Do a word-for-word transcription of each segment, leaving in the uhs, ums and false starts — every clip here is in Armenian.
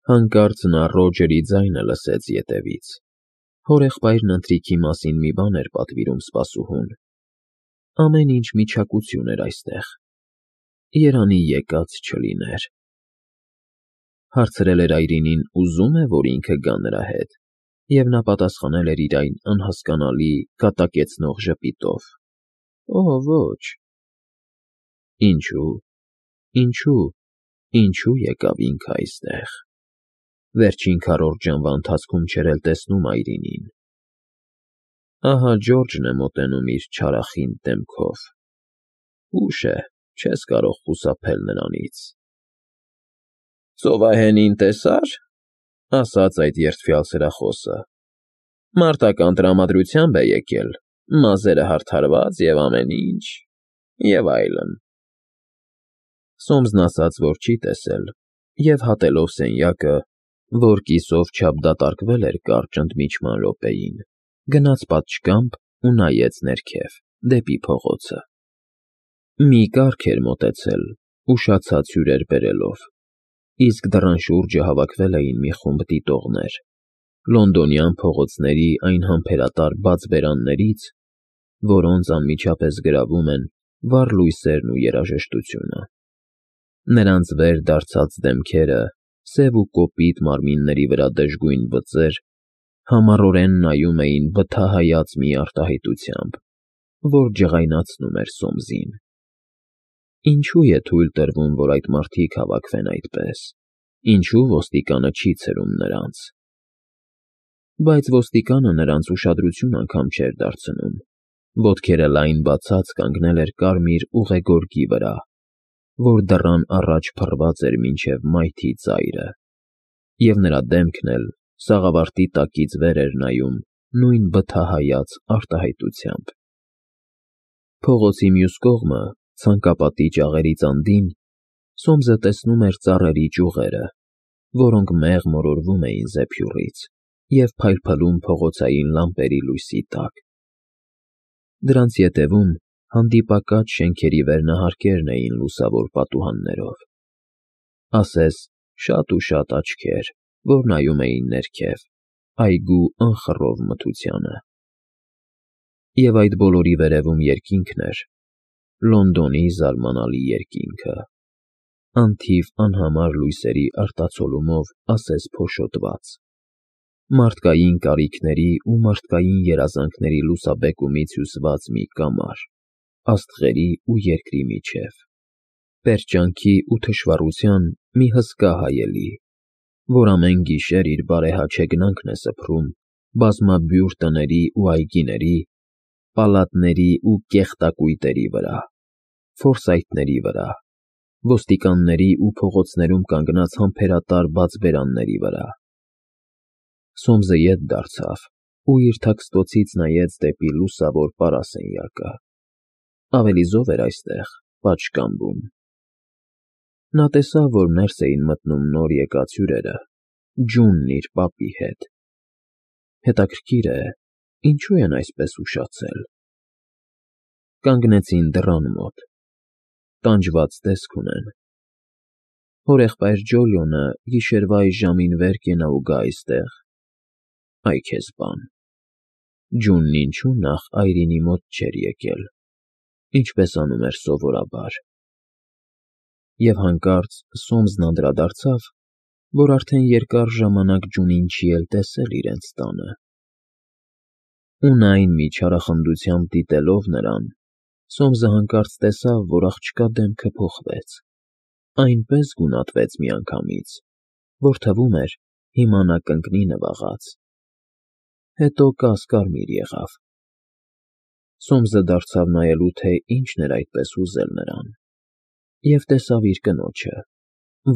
Հանկարծ նա Ռոջերի ձայնը լսեց ետևից. հորեղբայրն ընթրիքի մասին մի բան էր պատվիրում սպասուհուն։ Ամեն ինչ միչակություն էր այստեղ, երանի եկած չլիներ։ Հարցրել էր Այրինին ուզո՞ւմ է, որ ինքը գա նրա հետ, և նա պատասխանել էր իր այն անհասկանալի, կատակեցնող ժպիտով. Օհ, ոչ։ Ինչո՞ւ, ինչո՞ւ, ինչո՞ւ եկավ ինքը այստեղ։ Վերջին քառորդ ժամվա ընթացքում չէր էլ տեսնում Այրինին։ Ահա Ջորջն է մոտենում իր չարախինդ դեմքով։ Ուշ է, չես կարող խուսափել նրանից։ Ծովահենին տեսա՞ր,֊ ասաց այդ երդվյալ սրախոսը։ Մարտական տրամադրությամբ է եկել, մազերը հարդարված և ամեն ինչ, և այլն։ Սոմսն ասաց, որ չի տեսել, և հատելով սենյակը, որ կիսով չափ դատարկվել էր կարճ ընդմիջման րոպեին, գնաց պատշգամբ ու նայեց ներքև, դեպի փողոցը։ Մի կառք էր մոտեցել, ուշացած հյուրեր բերելով, իսկ դռան շուրջը հավաքվել էին մի խումբ դիտողներ, լոնդոնյան փողոցների այն համբերատար բաց բերաններից, որոնց անմիջապես գրավում են վառ լույսերն ու երաժշտությունը։ Նրանց վեր դարձած դեմքերը, սև ու կոպիտ մարմինների վրա դժգույն բծեր համառորեն նայում էին բթահայաց մի արտահայտությամբ, որ ջղայնացնում էր Սոմսին։ Ինչո՞ւ է թույլ տրվում, որ այդ մարդիկ հավաքվեն այդպես, ինչո՞ւ ոստիկանը չի ցրում նրանց։ Բայց ոստիկանը նրանց ուշադրություն անգամ չէր դարձնում, ոտքերը լայն բացած կանգնել էր կարմիր ուղեգորգի վրա, որ դռան առաջ փռված էր մինչև մայթի ծայրը, և նրա դեմքն էլ սաղավարտի տակից վեր էր նայում նույն բթահայաց արտահայտությամբ։ Փողոցի մյուս կողմը, ցանկապատի ճաղերից անդին, Սոմսը տեսնում էր ծառերի ճյուղերը, որոնք մեղ մորորվում էին զեփյուռից և փայլփլում փողոցային լամպերի լույսի տակ։ Դրանց ետևում հանդիպակաց շենքերի վերնահարկերն էին լուսավոր պատուհաններով, ասես շատ ու շատ աչքեր, որ նայում էին ներքև, այգու անխռով մթությանը։ Եվ այդ բոլորի վերևում երկինքն էր, Լոնդոնի զարմանալի երկինքը, անթիվ անհամար լույսերի արտացոլումով ասես փոշոտված, մարդկային կարիքների ու մարդկային երազանքների լուսաբեկումից հյուսված մի կամար, աստղերի ու երկրի միջև, պերճանքի ու թշվառության մի հսկա հայելի, որ ամեն գիշեր իր բարեհաճ հեգնանքն է սփռում բազմաբյուր տների ու այգիների, պալատների ու կեղտակույտերի վրա, ֆորսայթների վրա, ոստիկանների ու փողոցներում կանգնած համբերատար բաց բերանների վրա։ Սոմսը ետ դարձավ ու իր թաքստոցից նայեց դեպի լուսավոր պարասենյակը։ Ավելի զով էր այստեղ, պատշգամբում։ Նա տեսավ, որ ներս էին մտնում նոր եկած հյուրերը, Ջունն իր պապի հետ։ Հետաքրքիր է, ինչո՞ւ են այսպես ուշացել։ Կանգնեցին դռան մոտ, տանջված տեսք ունեն։ Հորեղբայր Ջոլիոնը գիշերվա այս ժամին վեր կենա ու գա այստեղ։ Այ քեզ բան։ Ջունն ինչո՞ւ նախ Այրինի մոտ չէր եկել, ինչպես անում էր սովորաբար։ Եվ հանկարծ Սոմսն անդրադարձավ, որ արդեն երկար ժամանակ Ջունին չի էլ տեսել իրենց տանը։ Ու այն մի չարախնդությամբ դիտելով նրան, Սոմսը հանկարծ տեսավ, որ աղջկա դեմքը փոխվեց, այնպես գունատվեց միանգամից, որ թվում էր հիմա նա կընկնի նվաղած, հետո կասկարմիր եղավ։ Սոմսը դարձավ նայելու, թե ինչն էր այդպես հուզել նրան, և տեսավ իր կնոջը,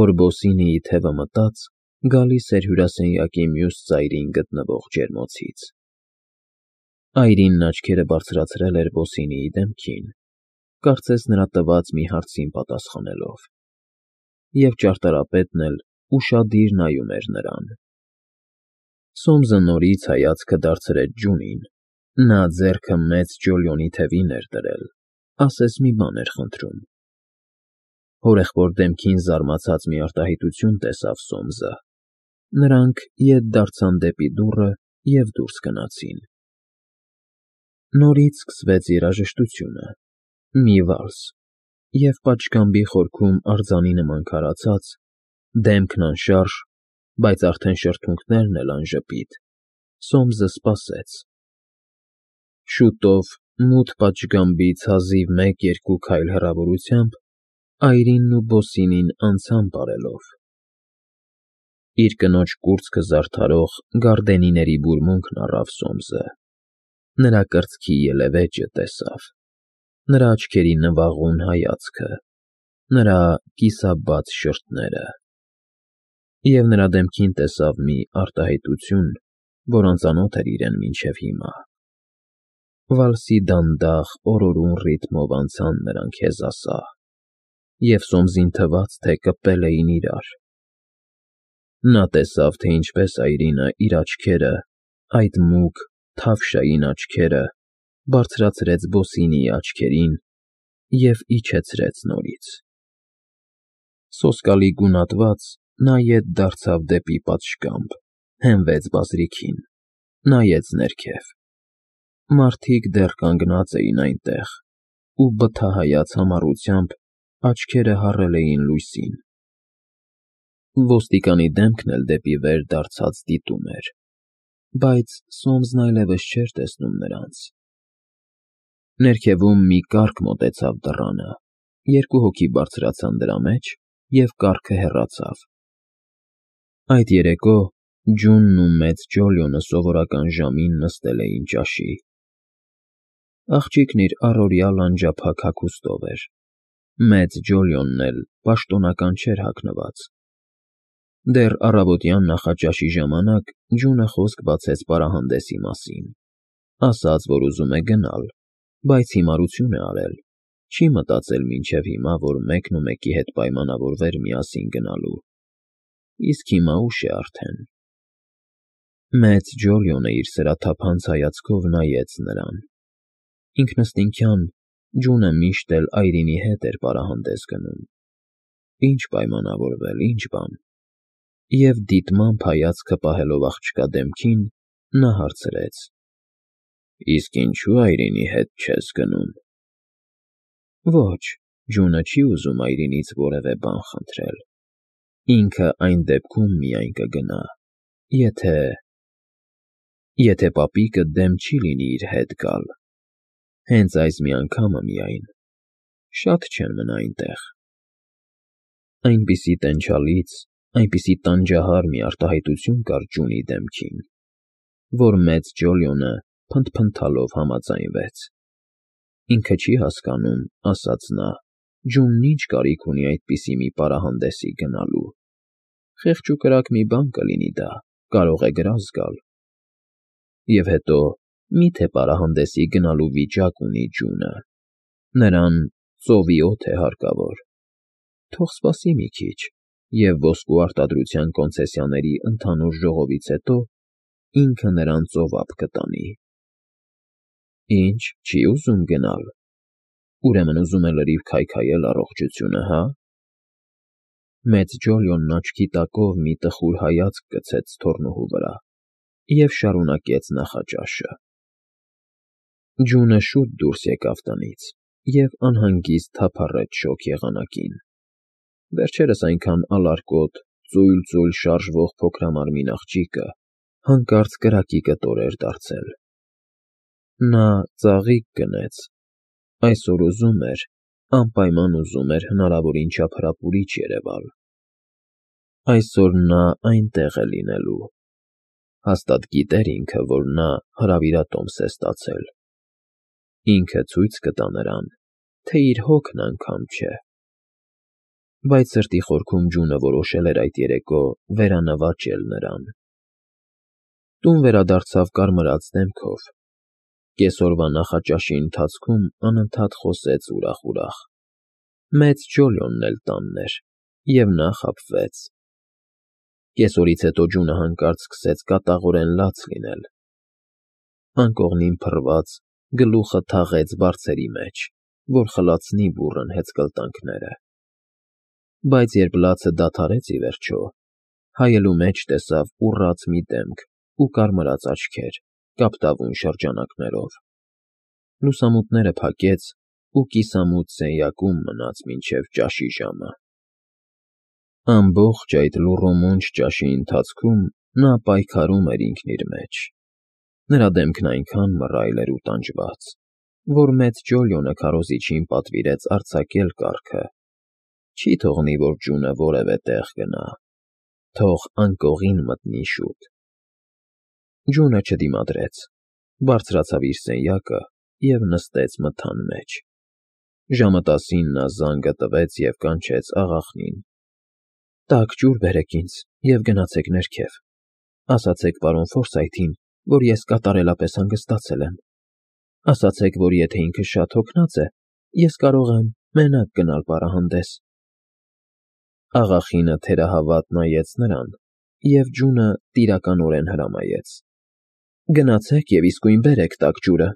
որ բոսինիի թևը մտած գալիս էր հյուրասենյակի մյուս ծայրին գտնվող ջերմոցից։ Այրինն աչքերը բարձրացրել էր բոսինիի դեմքին, կարծես նրա տված մի հարցին պատասխանելով, և ճարտարապետն էլ ուշադիր նայում էր նրան։ Սոմսը նորից հայացքը դարձրեց Ջունին, նա ձեռքը մեծ Ջոլիոնի թևին էր դրել, ասես մի բան էր խնդրում։ Հորեղբոր դեմքին զարմացած մի արտահայտություն տեսավ Սոմսը, Նրանք ետ դարձան դեպի դուռը և դուրս գնացին։ Նորից սկսվեց երաժշտությունը, մի վալս, և պատշգամբի խորքում արձանի նման քարացած, դեմքն անշարժ, բայց արդեն շրթունքներն էլ անժպիտ, Սոմսը սպասեց։ Շուտով մութ պատշգամբից հազիվ մեկ֊երկու քայլ հեռավորությամբ Այրինն ու Բոսինին անցան պարելով։ Իր կնոջ կուրծքը զարդարող գարդենիների բուրմունքն առավ Սոմսը, նրա կրծքի ելևէջը տեսավ, նրա աչքերի նվաղուն հայացքը, նրա կիսաբաց շրթները, և նրա դեմքին տեսավ մի արտահայտություն, որ անծանոթ էր իրեն մինչև հիմա։ Վալսի դանդաղ, օրորուն ռիթմով անցան նրանք հեզասահ, և Սոմսին թվաց, թե կպել էին իրար։ Նա տեսավ, թե ինչպես Այրինը իր աչքերը, այդ մուգ, թավշային աչքերը, բարձրացրեց Բոսինիի աչքերին և իջեցրեց նորից։ Սոսկալի գունատված, նա ետ դարձավ դեպի պատշգամբ, հենվեց բազրիքին, նայեց ներքև։ Մարդիկ դեռ կանգնած էին այնտեղ ու բթահայաց համառությամբ աչքերը հառել էին լույսին։ Ոստիկանի դեմքն էլ դեպի վեր դարձած դիտում էր, բայց Սոմսն այլևս չէր տեսնում նրանց։ Ներքևում մի կառք մոտեցավ դռանը, երկու հոգի բարձրացան դրա մեջ, և կառքը հեռացավ։ Այդ երեկո Ջունն ու մեծ Ջոլիոնը սովորական ժամին նստել էին ճաշի։ Աղջիկն իր առօրյա լանջափակ հագուստով էր, մեծ Ջոլիոնն էլ պաշտոնական չէր հագնված։ Դեռ առավոտյան նախաճաշի ժամանակ Ջունը խոսք բացեց պարահանդեսի մասին, ասաց, որ ուզում է գնալ, բայց հիմարություն է արել, չի մտածել մինչև հիմա, որ մեկն ու մեկի հետ պայմանավորվեր միասին գնալու, իսկ հիմա ուշ է արդեն։ Մեծ Ջոլիոնը իր սրաթափանց հայացքով նայեց նրան։ Ինքնըստինքյան Ջունը միշտ էլ Այրինի հետ էր պարահանդես գնում։ Ինչ պայմանավորվել, ինչ բան։ Եվ դիտմամբ հայացքը պահելով աղջկա դեմքին, նա հարցրեց. Իսկ ինչու Այրինի հետ չես գնում։ Ոչ, Ջունը չի ուզում Այրինից որևէ բան խնդրել։ Ինքը այն դեպքում միայն կգնա, եթե… եթե պապիկը դեմ չի լինի իր հետ գալ։ Հենց այս մի անգամը միայն, շատ չեն մնա այնտեղ։ Այնպիսի տենչալից, այնպիսի տանջահար մի արտահայտություն կար Ջունի դեմքին, որ մեծ Ջոլիոնը փնթփնթալով համաձայնվեց։ Ինքը չի հասկանում, ասաց նա, Ջունն ինչ կարիք ունի այդպիսի մի պարահանդեսի գնալու։ Խեղճ ու կրակ մի բան կլինի դա, կարող է գրազ գալ։ Եվ հետո, մի՞թե պարահանդեսի գնալու վիճակ ունի Ջունը։ Նրան ծովի օդ է հարկավոր։ Թող սպասի մի քիչ, և ոսկու արտադրության կոնցեսիաների ընդհանուր ժողովից հետո ինքը նրան ծովափ կտանի։ Ինչ, չի ուզում գնալ։ Ուրեմն ուզում է լրիվ քայքայել առողջությունը, հա՞։ Մեծ Ջոլիոնն աչքի տակով մի տխուր հայացք գցեց թոռնուհու վրա և շարունակեց նախաճաշը։ Ջունը շուտ դուրս եկավ տնից և անհանգիստ թափառեց շոգ եղանակին։ Վերջերս այնքան ալարկոտ, ծույլ֊ծույլ շարժվող փոքրամարմին աղջիկը հանկարծ կրակի կտոր էր դարձել։ Նա ծաղիկ գնեց, այսօր ուզում էր, անպայման ուզում էր հնարավորին չափ հրապուրիչ երևալ։ Այսօր նա այնտեղ է լինելու։ Հաստատ գիտեր ինքը, որ նա հրավիրատոմս է ստացել։ Ինքը ցույց կտա նրան, թե իր հոգն անգամ չէ։ Բայց սրտի խորքում Ջունը որոշել էր այդ երեկո վերանվաճել նրան։ Տուն վերադարձավ կարմրած դեմքով։ Կեսօրվա նախաճաշի ընթացքում անընդհատ խոսեց ուրախ֊ուրախ։ Մեծ Ջոլիոնն էլ տանն էր, և նա խաբվեց։ Կեսօրից հետո Ջունը հանկարծ սկսեց կատաղորեն լաց լինել։ Անկողնին փռված, գլուխը թաղեց բարձերի մեջ, որ խլացնի բուռն հեծկլտանքները։ Բայց երբ լացը դադարեց ի վերջո, Հայելու մեջ տեսավ ուռած մի դեմք ու կարմրած աչքեր, կապտավուն շրջանակներով։ Լուսամուտները փակեց ու կիսամութ սենյակում մնաց մինչև ճաշի ժամը։ Ամբողջ այդ լուռումունջ ճաշի ընթացքում նա պայքարում էր ինքն իր մեջ։ Նրա դեմքն այնքան մռայլ էր ու տանջված, որ մեծ Ջոլիոնը քարոզիչին պատվիրեց արձակել կառքը։ Չի թողնի, որ ջունը որևէ տեղ գնա, թող անկողին մտնի շուտ։ Ջունը չդիմադրեց, բարձրացավ իր սենյակը և նստեց մթան մեջ։ Ժամը տասին նա զանգը տվեց և կանչեց աղախնին։ «Տաք ջուր բերեք ինձ և գնացեք ներքև, ասացեք պարոն Ֆորսայթին, որ ես կատարելապես հանգստացել եմ, ասացեք, որ եթե ինքը շատ հոգնած է, ես կարող եմ մենակ գնալ պարահանդես»։ Աղախինը թերահավատ նայեց նրան, և ջունը տիրականորեն հրամայեց. «Գնացեք և իսկույն բերեք տաք ջուրը»։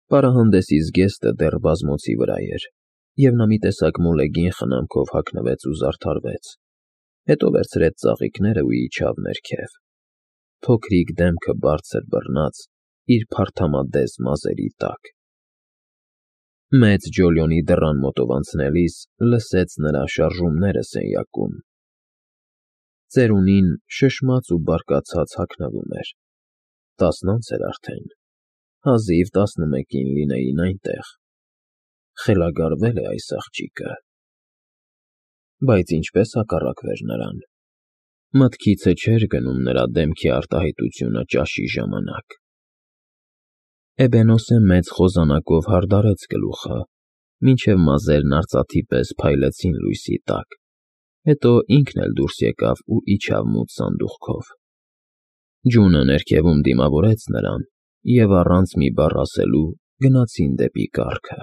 Պարահանդեսի զգեստը դեռ բազմոցի վրա էր, և նա մի տեսակ մոլեգին խնամքով հագնվեց ու զարդարվեց, հետո վերցրեց ծաղիկներն ու իջավ ներքև։ Փոքրիկ դեմքը բարձր բռնած իր փարթամադես մազերի տակ։ Մեծ Ջոլիոնի դռան մոտով անցնելիս լսեց նրա շարժումները սենյակում։ Ծերունին շշմած ու բարկացած հագնվում էր։ Տասնանց էր արդեն, հազիվ տասնմեկին լինեին այնտեղ։ Խելագարվել է այս աղջիկը։ Բայց ինչպես հակառակվեր նրան։ Մտքիցը չէր գնում նրա դեմքի արտահայտությունը ճաշի ժամանակ։ Էբենոսը մեծ խոզանակով հարդարեց գլուխը, մինչև մազերն արծաթի պես փայլեցին լույսի տակ, հետո ինքն էլ դուրս եկավ ու իջավ մութ սանդուղքով։ Ջունը ներքևում դիմավորեց նրան, և առանց մի բառ ասելու գնացին դեպի կառքը։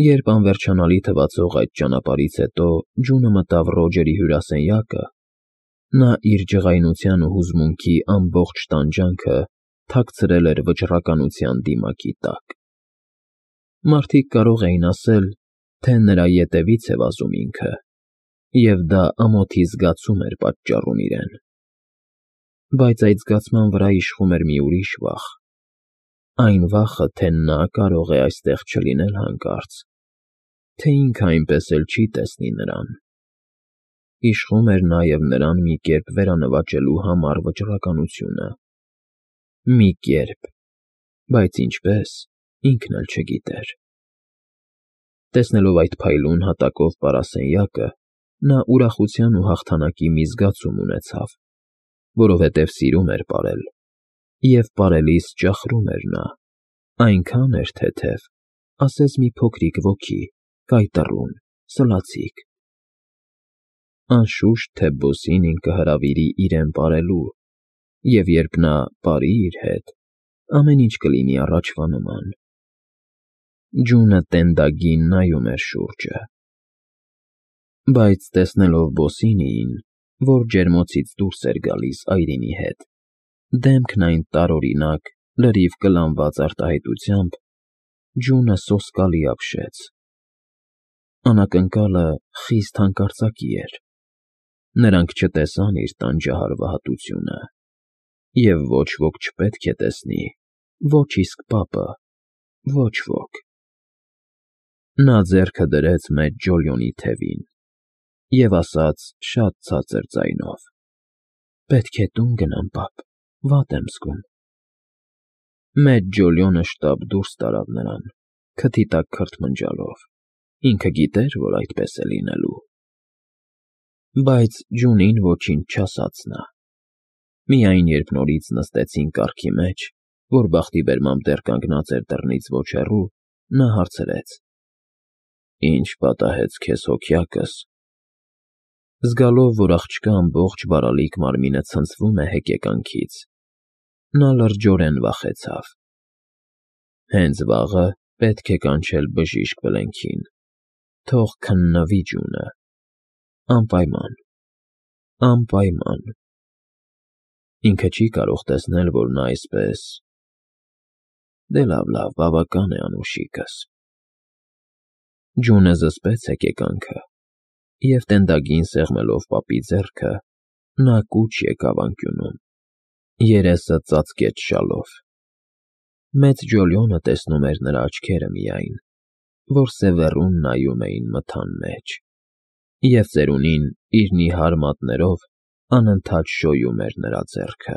Երբ անվերջանալի թվացող այդ ճանապարհից հետո ջունը մտավ Ռոջերի հյուրասենյակը, նա իր ջղայնության ու հուզմունքի ամբողջ տանջանքը թաքցրել էր վճռականության դիմակի տակ։ Մարդիկ կարող էին ասել, թե նրա ետևից է վազում ինքը, և դա ամոթի զգացում էր պատճառում իրեն։ Բայց այդ զգացման վրա իշխում էր մի ուրիշ վախ։ Այն վախը, թե նա կարող է այստեղ չլինել հանկարծ, թե ինքը այնպես էլ չի տեսնի նրան։ Իշխում էր նաև նրան մի կերպ վերանվաճելու համառ վճռականությունը։ Մի կերպ, բայց ինչպես, ինքն էլ չգիտեր։ Տեսնելով այդ փայլուն հատակով պարասենյակը, նա ուրախության ու հաղթանակի մի զգացում ունեցավ, որովհետև սիրում էր պարել, և պարելիս ճախրում էր նա, այնքան էր թեթև, ասես մի փոքրիկ ոգի, կայտառուն, սլացիկ։ Անշուշտ թե Բոսինին կհրավիրի իրեն պարելու, և երբ նա պարի իր հետ, ամեն ինչ կլինի առաջվա նման։ Ջունը տենդագին նայում էր շուրջը։ Բայց տեսնելով Բոսինիին, որ ջերմոցից դուրս էր գալիս այրինի հետ, դեմքն այն տարօրինակ, լրիվ կլանված արտահայտությամբ, ջունը սոսկալի ապշեց։ Անակնկալը խիստ հանկարծակի էր։ Նրանք չտեսան իր տանջահարվահատությունը, և ոչ ոք չպետք է տեսնի, ոչ իսկ պապը, ոչ ոք։ Նա ձեռքը դրեց մեծ Ջոլիոնի թևին և ասաց շատ ցածր ձայնով. «Պետք է տուն գնամ, պապ, վատ եմ զգում»։ Մեծ Ջոլիոնը շտապ դուրս տարավ նրան, քթի տակ քրթմնջալով, ինքը գիտեր, որ այդպես է լինելու։ Բայց ջունին ոչինչ չասաց նա։ Միայն երբ նորից նստեցին կառքի մեջ, որ բախտի բերմամբ դեռ կանգնած էր դռնից ոչ հեռու, նա հարցրեց. «Ի՞նչ պատահեց քեզ, հոգյակս»։ Զգալով, որ աղջկա ամբողջ բարալիկ մարմինը ցնցվում է հեկեկանքից, նա լրջորեն վախեցավ։ Հենց վաղը պետք է կանչել բժիշկ Բլենքին, թող քննվի ջունը, անպայման, անպայման։ Ինքը չի կարող տեսնել, որ նա այսպես… Դե լավ, լավ, բավական է, անուշիկս։ Ջունը զսպեց հեկեկանքը, Եվ տենդագին սեղմելով պապի ձեռքը, նա կուչ եկավ անկյունում, երեսը ծածկեց շալով. մեծ Ջոլիոնը տեսնում էր նրա աչքերը միայն, որ սևեռուն նայում էին մթան մեջ, և ծերունին իր նիհար մատներով անընդհատ շոյում էր նրա ձեռքը։